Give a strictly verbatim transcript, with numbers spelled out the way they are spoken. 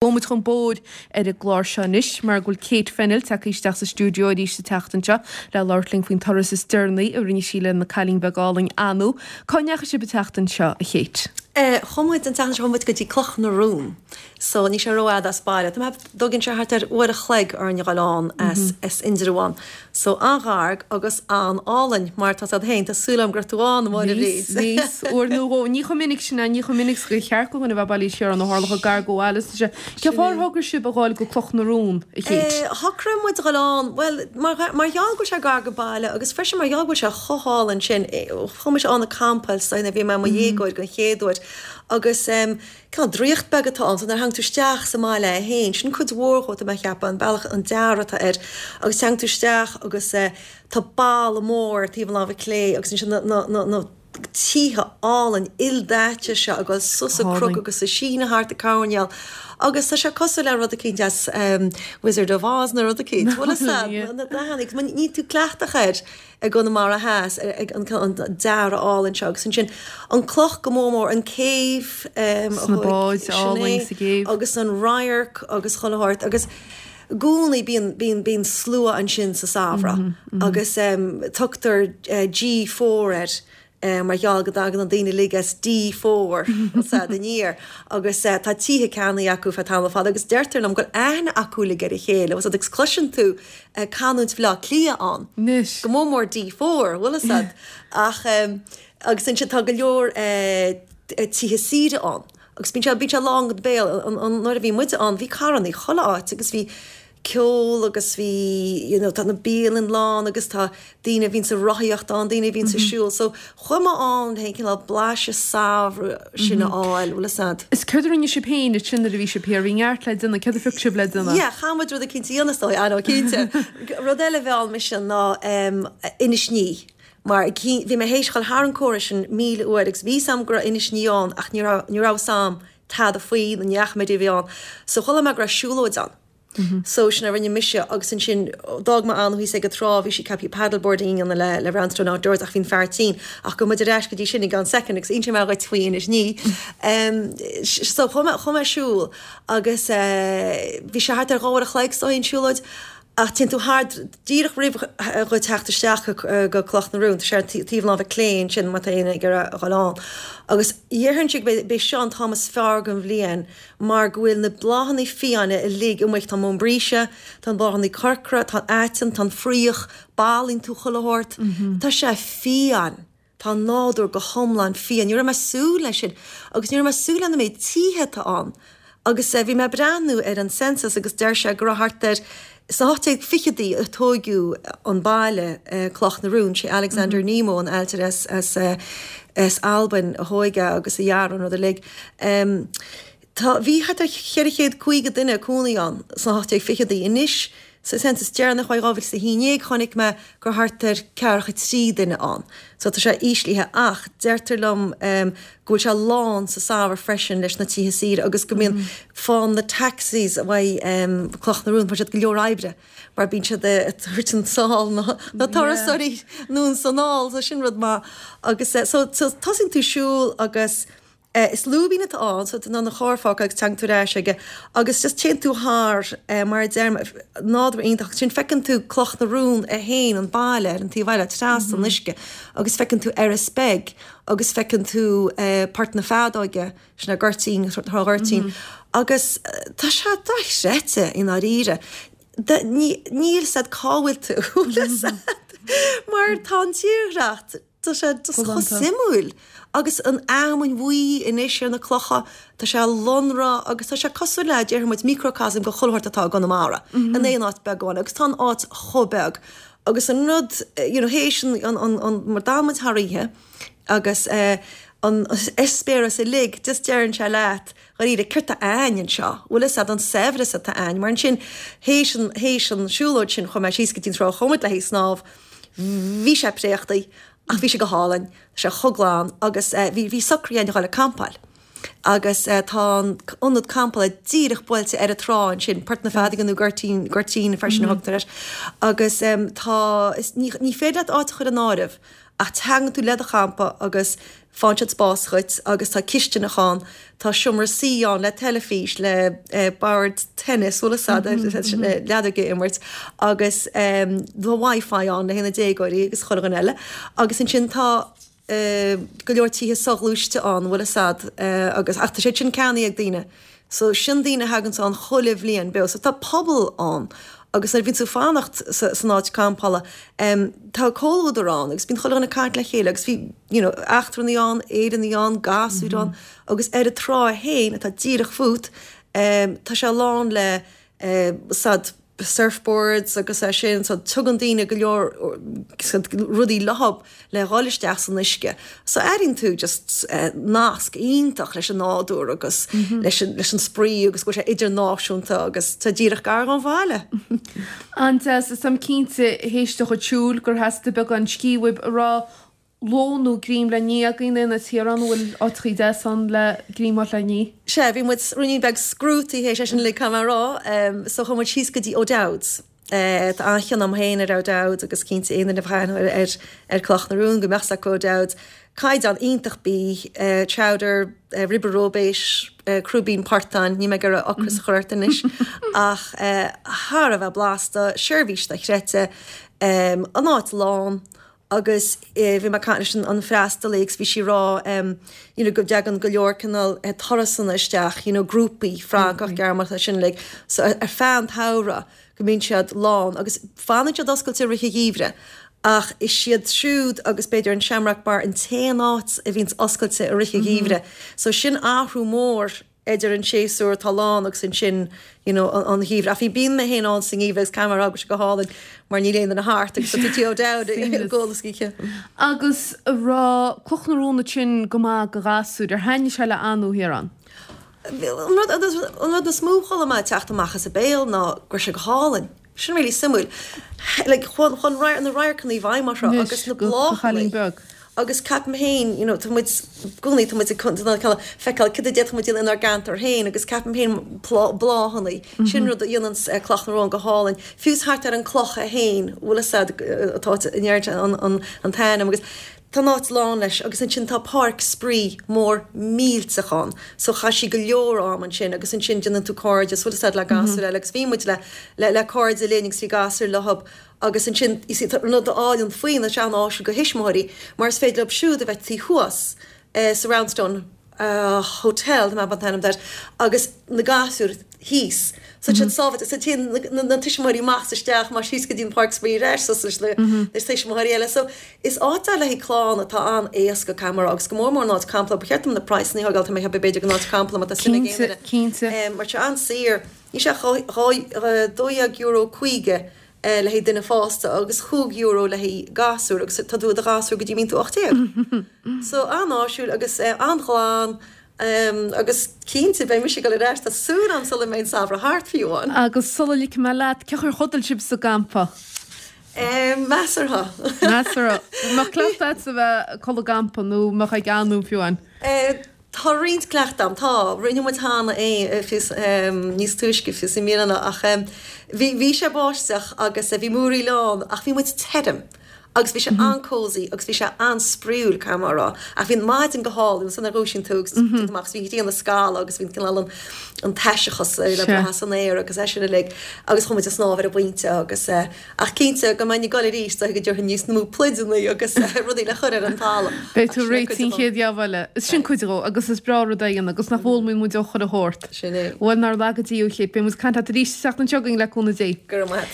Gabhfaidh muid chun bóthair ar an gclár seo anois mar go bhfuil Kate Fennell tagtha isteach sa stiúideo arís an tseachtain seo le labhairt linn faoin turas is deireanaí a rinne sí lena cailín beag álainn Anu. Cá ndeachaigh sibh an tseachtain seo, a Kate? Eh, chuaigh muid an tseachtain seo chuaigh muid go dtí Cloch na Rún. So níl sé rófhada as baile. Tá mé dtugann sé thart ar uair a chloig orainn a dhul ann as, as Indreabhán. So an-ghar agus an-álainn mar tá siad féin, tá súil agam go raibh tú ann, a Mháire Bhríd. Bhíos, uair nó dhó, ní chomh minic sin, ní chomh minic gur cheart go dhuine bheith bailithe siar ann ó tharla chomh gar go bhaile is sé. Cén fáth ar thograigh sibh a ghabháil go Cloch na Rún, a Kate? Eh, shocraigh muid a dhul ann, well, mar, mar gheall go bhfuil sé gar go baile agus freisin mar gheall go bhfuil sé chomh hálainn sin, eh, chuaigh mise ann ag campáil so bhí mé i mo dhéagóir den chéad uair agus um, cineál draíocht beag atá ann, so nuair a thagann tú isteach sa mbaile é féin, sin cuid mhór dhó tá mé ag ceapadh, an bealach an dearadh atá air agus teann tú isteach agus eh, tá balla mór taobh an láimhe clé agus ansin na, na, na, na tithe álainn ildaite seo ag dul suas an cnoc agus ag síneadh thart an coirnéal agus tá sé cosúil le rud eicínt as um, Wizard of Oz nó rud eicínt. Bhfuil fhios a'd, na dathanna, agus níl tú cleachtach air i gConamara Theas ag an, an dearadh álainn seo agus ansin an cloch go mór mór an céibh um, Sna a báid sin álainn é, sa gcéibh. agus an radharc agus chuile shórt agus i gcónaí bíonn bíonn bíonn slua ansin sa samhradh agus um, tugtar uh, G four air uh, mar gheall go dtagann an daoine uilig as D four sa aniar agus uh, tá tithe ceannaithe acu feadh tamall fada agus deirtear liom go bhfuil aithne acu uilig ar a chéile agus agus cloiseann tú uh, canúint Bhaile Átha Cliath ann. Anois. Go mór mór D four, bhfuil fhios a'd ach um, agus ansin tá go leor uh, tithe saoire ann. Agus bíonn sé bíonn sé lán go béal an, an, nuair a bhí muide ann bhí carranna chuile áit agus bhí ceol agus bhí you know, tá na bialanna lán agus tá daoine a bhíonn sa rothaíocht ann, daoine a bhíonn sa siúl, so chuaigh mé ann féin cineál blaiseadh samhradh sin a fháil, bhfuil fhios a'd. Is céard a rinne sibh féin ansin nuair a bhí sibh thiar, bhí neart le déanamh, céard a phioc sibh le déanamh? Yeah, chaith muid rud eicínt a dhéanamh is dóigh, I know, cinnte. Rud eile a mheall mise ná um, Inis Ní. Mar bhí mé théis dul thar an chomhartha sin míle uair agus bhí fhios a'm go raibh Inis Ní ann ach ní raibh ní raibh fhios a'm tada faoi na neach mé bhí ann. So chuala mé go raibh siúlóid ann. So sin a rinne mise agus ansin d'fhág mé Anu thíos ag an trá, bhí sí ceaptha paddleboarding ann le le Roundstone Outdoors ach bhí an fear tinn ach gabhfaidh muid ar ais go dtí sin i gceann second agus inseoidh mé dhuit faoi Inis Ní. Um, so chuaigh mé chuaigh mé siúl agus uh, bhí sé thart ar dhá uair a chloig so an siúlóid ach téann tú thar díreach roimh dhuit teacht isteach go, go Cloch na Rún, tá sé ar taobh láimhe clé ansin má tá éinne ag iarraidh a dhul ann. Agus dhéarfainn gurb é seo an t-am is fearr den bhliain mar go bhfuil na bláthanna fiáine uilig amuigh, tá móin bríse, tá an bláthanna corcra, tá an aiteann, tá an fraoch, bolaíonn tú chuile shórt. Tá sé fiáin. Tá nádúr go hiomlán fiáin. Ní raibh mé súil leis sin agus ní raibh mé súil lena méid tithe atá ann. Agus uh, bhí mé breathnú ar an census agus deir sé go raibh thart ar sna hocht déag fichidí a tógadh an baile uh, Cloch na Rún, sé Alexander mm -hmm. Nemo an ailtire as, as, uh, as Albain a thóg é agus a dhear an rud uilig. Um, Tá bhí thart ar cheithre chéad caoga duine cónaí ann sna hocht déag fichidí anois sa census deireanach ó dhá mhíle is a haon déag chonaic mé gur thart ar ceathracha trí duine ann. So tá sé íslithe ach deirtear liom um, go bhfuil sé lán sa samhradh freisin leis na tithe saoire agus go mbíonn mm -hmm. fán na taxis a bhaidh um, Cloch na Rún siad go leor oibre mar bíonn siad ag an sál na, na turasóirí nó an sanáil so sin rud maith agus uh, so, so tosaíonn tú siúl agus Uh, is lúbín atá ann so ná na chárfá agus teang tú éis aige agus just téann tú thar uh, mar deir nádúr iontach sin feiceann tú Cloch na Rún a haon an baile ar an taobh eile trasna an uisce agus feiceann tú Iorras Beag agus feiceann tú uh, Port na Feadóige sin na Goirtín Trá Ghoirtín mm -hmm. agus uh, tá sé dochreidte i ndáiríre. Níl fhios a'd cá bhfuil tú mar tá an tírdhreach tá sé chomh suimiúil agus an fheamainn bhuí anois ar na clocha tá sé lonrach agus tá sé cosúil le déarfaidh muid microcosm go chuile shórt atá i gConamara in aon áit beag amháin agus tá an áit chomh beag agus an rud you know théis an an an mar d'fhan muid thar oíche agus uh, an eispéireas uilig just deireann sé leat dáiríre céard tá againn anseo, bhfuil fhios a'd an saibhreas atá againn, mar ansin théis an théis an siúlóid sin chuaigh mé síos go dtí an trá chuaigh muid le haghaidh snámh, bhí sé préachtaí ach bhí sé go hálainn, sé chomh glan agus uh, bhí bhí socraithe againn a dhul ag campáil. Agus uh, tá an ionad campála díreach buailte ar an trá ansin Port na Feadóige nó Goirtín Goirtín freisin mm -hmm. thugtar air. Agus um, tá is, ní, ní féidir leat áit a chur in áirithe ach teann tú le do champa agus Faigheann siad spás dhuit agus tá cistineach ann, tá seomra suí ann le teilifís, le bord tennis, bhfuil fhios a'd, leadóg a imirt agus tá Wi-Fi ann le haghaidh na déagóirí agus chuile dhuine eile. Agus ansin tá go leor tithe soghluaiste ann, bhfuil fhios a'd, agus ach tá siad sin ceannaithe ag daoine. So sin daoine a thaganns ann chuile bhliain beo. So tá pobal ann agus nuair a bhíonn tú ag fanacht san áit campála tá comhluadar ann agus bíonn chuile dhuine ag caint le chéile agus bhí you know eachtrannaigh ann, Éireannaigh ann, gasúir ann agus ar an trá féin atá díreach fút tá sé lán le said surfboards agus é sin so tugann daoine go leor rudaí leothab le dhul isteach san uisce. So airíonn tú just nasc iontach leis an nádúr agus leis an leis an spraoi agus go bhfuil sé idirnáisiúnta agus tá díreach gar dhon bhaile. An-deas, is táim cinnte théis do chuid siúil gur theastaigh beagán scíth uaibh a raibh lón nó greim le ní againn in Tíorán an bhfuil áiteachaí deas ann le greim a fháil le ní? Sea, bhí muid ruainnín beag scrútaí théis é sin uilig caithfidh mé a rá. So chuaigh muid síos go dtí O'Dowd's. Tá an-chion a'm féin ar O'Dowd's agus cinnte aon duine a bheadh aithne ar ar Cloch na Rún go mbeadh 's acu O'Dowd's. Caighdeán iontach bídh, chowder, ribe róibéis, crúibín portáin, níl mé ag iarraidh ocras a chur ort anois ach thar a bheith blasta, seirbhís dochreidte, an áit lán. Agus bhí mé ag caint leis an freastalaí agus bhí sí ag rá you know go dtagann go leor cineál turasanna isteach, you know grúpaí Francach, Gearmánach sin uilig. So ar feadh an tsamhraidh go mbíonn siad lán agus fanann siad oscailte i rith an gheimhridh ach is iad siúd agus b'fhéidir an Shamrock Bar an t-aon áit a bhíonns oscailte i rith an gheimhridh. So sin athrú mór idir an séasúr atá lán agus ansin you know an gheimhreadh. Ach bhí bíonn mé féin ann sa ngeimhreadh agus caithfidh mé a rá go bhfuil sé go hálainn mar níl aon duine thart agus tá tú tí O'Dowd ag ól is oíche. Agus a raibh Cloch na Rún ansin go maith do ghasúir, ar thaitnigh sé le Anu thiar ann? An rud an rud is mó a chuala mé ag teacht amach as a béal ná go raibh sé go hálainn. Sin really suimiúil. Like chun chun na radharcanna i bhfeidhm orthu agus na bláthanna. Agus ceapaim féin, you know, tá muid i gcónaí, tá muid ag feiceáil cad a d'fhéadfadh muid a dhéanamh inár gceantar féin agus ceapaim féin bláthanna, sin rud a dhéanann Cloch na Rón go hálainn. Fiú is thart ar an cloch é féin, bhfuil fhios a'd, atá in airde an t-ainm agus tá an áit lán leis agus ansin tá páirc spraoi mór millteach ann so chaith sí go leor am ansin agus ansin déanann tú cairde, bhfuil fhios a'd le gasúir eile agus bhí muid le le cairde linn agus bhí gasúir leothab Agus ansin, you see, tá rud álainn faoi ná sé an-áisiúil do thuismitheoirí mar is féidir leo siúd a bheith taobh thuas sa Roundstone Hotel, tá mé ag an t-ainm air, agus na gasúir thíos. So tá siad sábháilte. So téann na tuismitheoirí amach is isteach, amach síos go dtí an páirc spraoi ar ais suas leis na tuismitheoirí eile. So is áit é le haghaidh clann atá an-éasca, caithfidh mé a rá, agus go mór mór an áit campála. Ba cheart dom na praghsanna a thógáil, tá mé ag ceapadh b'fhéidir don áit campála má tá suim ag aon duine. Cinnte, cinnte. Mar tá sé an-saor. Níl sé ach dhá, dó dhéag euro caoga le haghaidh duine fásta agus chúig euro le haghaidh gasúr agus tá tú i do ghasúr go dtí mbíonn tú ocht déag. So an-áisiúil agus an-ghlan agus cinnte beidh mise ag dul ar ais, tá súil agam sula mbeidh an samhradh thart fiú amháin. Agus sula ligfidh mé leat, cén chaoi ar chodail sibh sa gcampa? Measartha. Measartha. An mbeadh cleachtadh agatsa a bheith ag codladh i gcampa nó an mbeadh ag Anu fiú amháin? Tá roinnt cleachtadh agam, tá. Rinne muid cheana é fiú níos túisce fiú i mbliana ach bhí bhí sé báisteach agus bhí múraíl ann ach bhí muid tirim agus bhí sé an-cosy agus bhí sé an-spraíúil caithfidh mé a rá. Ach bhí an maidin go hálainn ansan nuair a dhúisíonn tú agus téann tú amach agus bhí an ghrian ag scalladh agus bhí an cineál an an taiseachas le brath san aer agus é sin uilig agus chuaigh muid ag snámh ar an bpointe agus Ach cinnte, go mbeinn ag dul arís, dóigh go dtabharfainn níos mó pluideanna agus rudaí le cur ar an talamh. Beidh tú réitithe an chéad gheábh eile. Sin cuid dhó, agus is breá rud é a dhéanamh, agus nach bhfoghlaimíonn muid ó chuile shórt. Sin é. Bhuel, nár laga Dia thú, a Kate, beidh muid ag caint leat arís an tseachtain seo chugainn, le cúnamh Dé. Go raibh maith a't.